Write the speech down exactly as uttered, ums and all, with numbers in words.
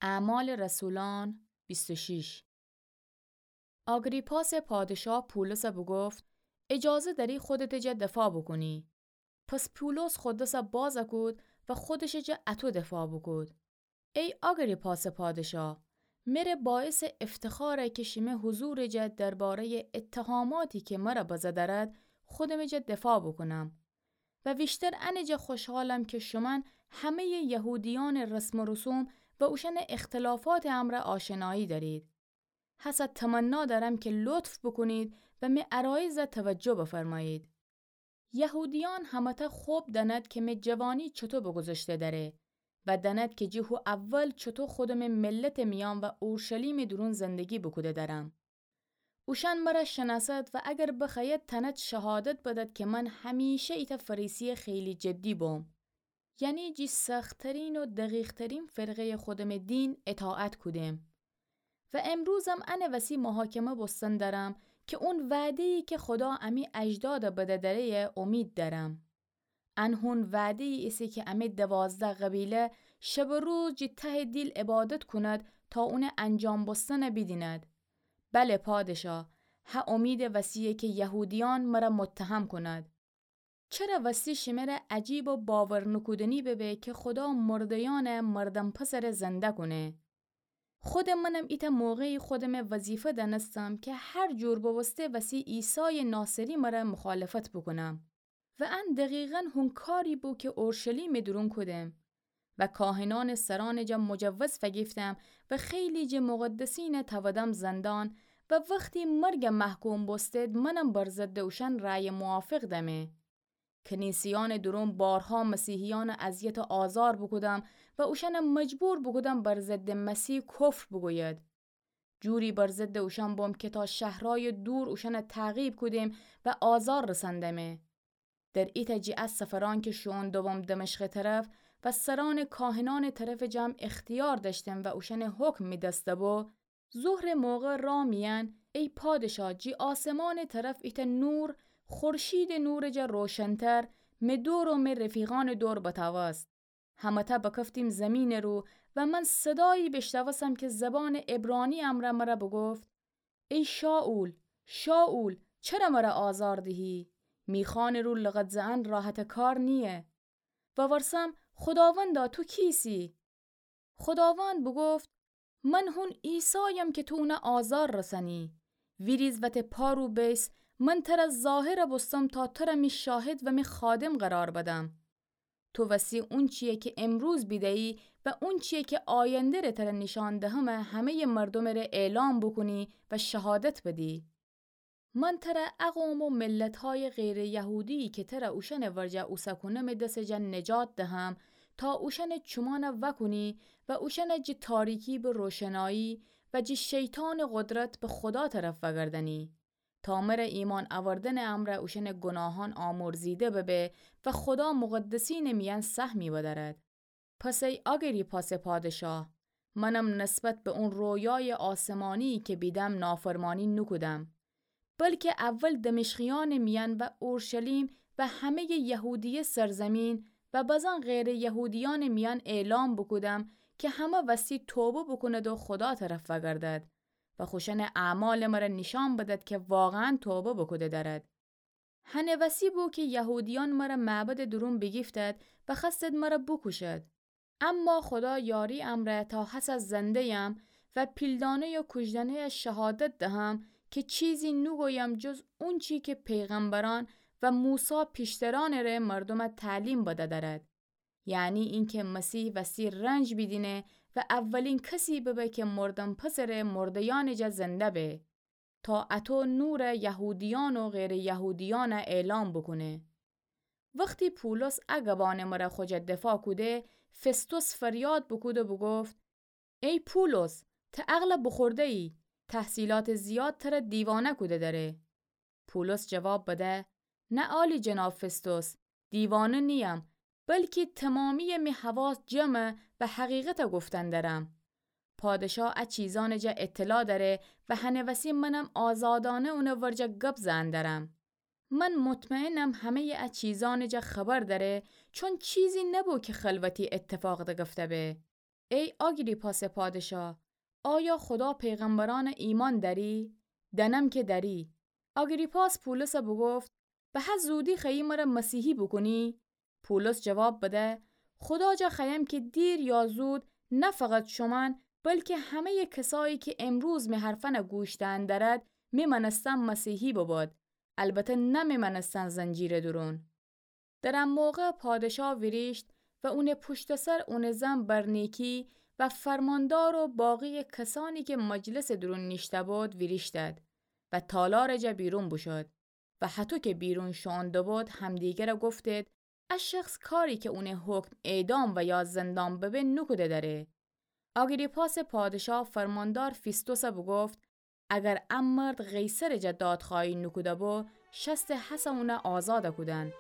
اعمال رسولان بیست و شیش. آگریپاس پادشا پولس بوگفت: اجازه دأری خودتٚ جا دفاع بوکونی. پس پولس خو دس باز کود و خودشٚ جا اطو دفاع بوکود: ای آگریپاس پادشا، مره باعثٚ افتخاره که شیمه حضورٚ جا دربارهٔ اتهاماتی که مره بزه دأرد، خودمٚ جا دفاع بوکونم. و ویشتر انٚ جا خوشحالم که شومأن همهٔ یهودیأنٚ رسم و رسوم و اوشأنٚ اختلافاتٚ امرأ آشنایی دأرید. هسه تمنا دأرم که لطف بوکونید و می عرایض توجه بفرمایید. یهودیأن همه‌تأ خب دأند که می جوانی چوطو بگذشته دأره و دأند که جٚه هو اول چوطو خودمٚ ملتٚ میأن و اورشلیمٚ دورون زندگی بوکوده دأرم. اوشأن مره شنأسد و اگر بخوأید تأند شهادت بدد که من همیشه ایتأ فریسیٚ خیلی جدی بوم. یعنی جٚه سخت‌ترین و دقیق‌ترین فرقهٔ خودمٚ دین اطاعت کودم. و امروزم انٚ وسی محاکمه بوستن دأرم که اون وعده‌یی که خودا امی اجداد بده دأره‌یه امید دأرم. ان هون وعده‌یی ایسه که امی دوازده قبیله شب و روز جٚه تهٚ دیل عبادت کوند تا اونٚ انجام بوستن بیدیند. بله پادشا، هه امیدٚ وسی‌یه که یهودیأن مره متهم کوند. چره وستی شمره عجیب و باور نوکودنی ببه که خودا مرده‌یأن مردم پسر زنده کونه؟ خودٚ منم ایتأ موقعی خودمه وظیفه دأنستم که هر جور بوسته وسی عیسایٚ ناصری مره مخالفت بوکونم. و ان دقیقاً هون کاری بو که اورشلیمٚ دورون کودم. و کاهنأنٚ سرأنٚ جا مجوز فگیفتم و خیلی جٚه مقدسینٚ تودم زندان و وختی مرگ محکوم بوستد منم بر ضدٚ اوشأن رأی موافق دمه. کنیسه‌یأنٚ دورون بارها مسیحیأن اذیت و آزار بوکودم و اوشأن مجبور بوکودم بر ضدٚ مسیح کفر بوگوید. جوری بر ضدٚ اوشأن بوم که تا شهرأیٚ دور اوشأن تعقیب کودم و آزار رسندمه. در ایتأ جیعت سفرأن که شوئون دوم دمشقٚ طرف و سرأنٚ کاهنأنٚ طرفٚ جم اختیار دأشتم و اوشأنٚ حکم می دست بو، ظهرٚ موقع رأ میأن، ای پادشا، جٚه آسمانٚ طرف ایتأ نور، خورشیدٚ نورٚ جا روشنتر، می دور و می رفیقأنٚ دور بتأوست. همه‌تأ بکفتیم زیمینٚ رو و من صدایی بیشنوستم که زبانٚ عبرانی امرأ مره بوگفت: ای شائول، شائول، چره مره آزار دیهی؟ میخوأنٚ رو لغت زئن راحتٚ کار نییه. وورسم: خوداوندا، تو کیسی؟ خوداوند بوگفت: من هون عیسایم که تو اونه آزار رسنی. ویریز وتٚ پا رو بیس، من تره ظاهر بوستم تا تره می شاهد و می خادم قرار بدم. تو وسی اونچیی که امروز بیدهیی و اونچیی که آینده‌ره تره نیشأن دهمه همه‌یٚ مردومٚره اعلام بوکونی و شهادت بدی. من تره ا قوم و ملت‌هایٚ غیرٚ یهودیی که تره اوشأنٚ ورجه اوسه کونمٚ دسٚ جا نجات دهم تا اوشأنٚ چومأن وأکونی و اوشأن جٚه تاریکی به روشنایی و جٚه شیطانٚ قدرت به خودا طرف وأگردنی، تا مره ایمأن اوردنٚ امرأ اوشأنٚ گوناهأن آمرزیده ببه و خودا مقدسینٚ میأن سهمی بدأرد. پس ای آگریپاسٚ پادشاه، منم نسبت به اون رویایٚ آسمانیی که بیدم نافرمانی نوکودم، بلکه اول دمشقیأنٚ میأن و اورشلیم و همه‌یٚ یهودیه سرزیمین و بزن غیرٚ یهودیأنٚ میأن اعلام بوکودم که همه وستی توبه بوکوند و خودا طرف وأگردد و خوشأنٚ اعمالٚ مره نیشأن بدد که واقعاً توبه بوکوده دأرد. هنٚ وسی بو که یهودیأن مره معبدٚ دورون بیگیفتد و خوأستد مره بوکوشد. اما خودا یاری امرأ تا هسه زنده‌یم و پیلدانه‌یٚ کوجدنه‌یٚ شهادت دهم که چیزی نوگویم جز اونچی که پیغمبرأن و موسی پیشترأنٚره مردومٚ تعلیم بده دأرد. یعنی اینکه مسیح وستی رنج بیدینه و اولین کسی ببه که مردن پسرٚ مرده‌یأنٚ جا زنده به، تا اطو نور یهودیأن و غیرٚ یهودیأن اعلام بوکونه. وختی پولس ا گبأنٚ مره خو جا دفاع کوده، فستوس فریاد بوکود و بوگفت: ای پولس، ته عقل بوخورده‌یی، تحصیلاتٚ زیاد تره دیوانه کوده دأره. پولس جواب بده: نه عالی‌جناب فستوس، دیوانه نییم، بلکی تومامی‌یٚ می حواس جمعه و حقیقت گفتن درم. پادشاه ا چیزأنٚ جا اطلاع دأره و هنٚ وسی منم آزادانه اونٚ ورجه گب زئن درم. من مطمئنم همه‌یٚ ا چیزأنٚ جا خبر دأره، چون چیزی نبو که خلوتی اتفاق دگفته به. ای آگریپاسٚ پادشا، آیا خودا پیغمبرأنٚ ایمأن دأری؟ دأنم کی دأری. آگریپاس پولسَ بوگفت: به هه زودی خوأیی مرَ مسیحی بوکونی؟ پولس جواب بده: خودا جا خوأیم کی دیر یا زود، نه فقط شومأن، بلکی همه‌یٚ کسایی کی امروز می حرفأنَ گوش دئن دأرد، می مأنستن مسیحی ببد، البته نه می مأنستن زنجیرٚ دورون. در ا موقع پادشا ویریشت و اونٚ پوشتٚ سر اونٚ زن برنیکی و فرماندار و باقی‌یٚ کسأنی کی مجلسٚ دورون نیشته‌بود ویریشتد و تالارٚ جا بیرون بوشود و هطو کی بیرون شوئون دوبود همدیگرَ گفتید: ا شخص کاری کی اونٚ حکم اعدام و یا زندان ببه نوکوده دأره. آگریپاسٚ پادشا فرماندار فیستوسَ بوگفت: اگر ا مرد قیصرٚ جا دادخوأهی نوکوده بو، شستٚ هسه اونَ آزادَ کودن.